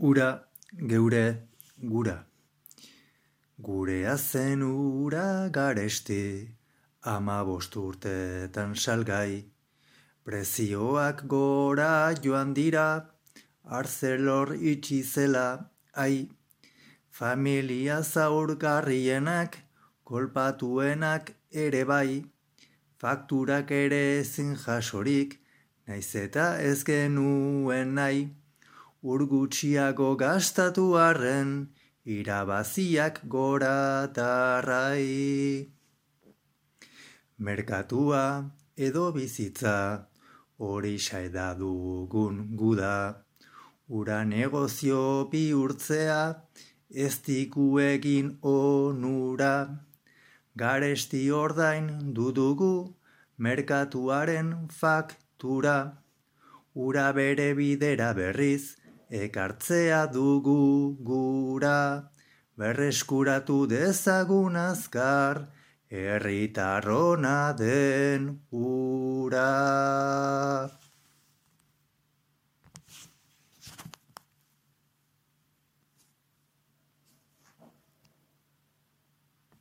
Ura, geure, gura. Gurea zen ura garesti, 15 urtetan salgai. Prezioak gora joan dira, Arcelor itxi zela, ai. Familia zaurgarrienak, kolpatuenak ere bai. Fakturak ere ezin jasorik, naiz eta ez genuen nahi. Gutxiago gastatu arren, irabaziak gora tarrai. Merkatua edo bizitza, hori da dugun guda. Ura negozio bihurtzea, ez digu egin onura. Garesti ordain dudugu, merkatuaren faktura. Ura bere bidera berriz, ekartzea dugu gura, berreskuratu dezagun azkar, herritarrona den ura.